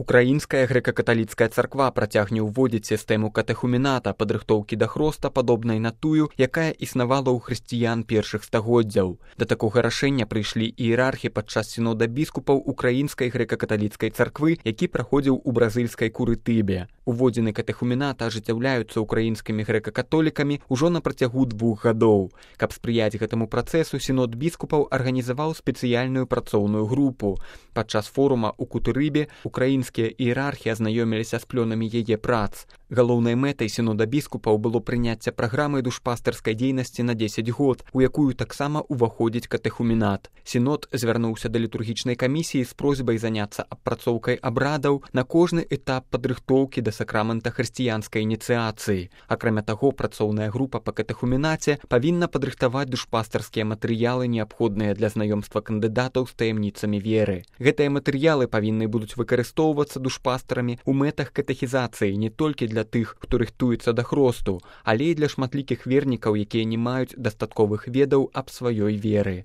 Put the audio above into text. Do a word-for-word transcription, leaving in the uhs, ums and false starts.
Украінская грэка-каталіцкая царква працягне ўводзіць сістэму катэхумената, падрыхтоўкі да хроста, падобнай на тую, якая існавала ў хрысціян першых стагоддзяў. Да такога рашэння прыйшлі іерархі падчас сінода біскупаў Украінскай грэка-каталіцкай царквы, які праходзіў у бразыльскай Курытыбе. Уводзіны катэхумената ажыццяўляюцца ўкраінскімі грэка-католікамі ўжо на працягу двух гадоў. Каб спрыяць гэтаму працэсу, сінод біскупаў арганізаваў спецыяльную працоўную групу. Падчас форума ў Кутырыбе украінскія іерархі азнаёміліся з плёнамі яе прац. Галоўнай мэтай сінода біскупаў было прыняцце праграмы душпастарскай дзейнасці на дзесяць год, у якую таксама ўваходзіць катэхуменат. Сінод звярнуўся да літургічнай камісіі з просьбай заняцца апрацоўкай абрадаў на кожны этап падрыхтоўкі да сакрамента хрысціянскай ініцыяцыі. Акрамя таго, працоўная група па катэхуменаце павінна падрыхтаваць душпастарскія матэрыялы, неабходныя для знаёмства кандыдатаў з таямніцамі веры. Гэтыя матэрыялы павінны будуць выкарыстоўвацца душпастарамі ў мэтах катэхізацыі не толькі для тых, хто рыхтуецца да хросту, але і для шматлікіх вернікаў, якія не маюць дастатковых ведаў аб сваёй веры.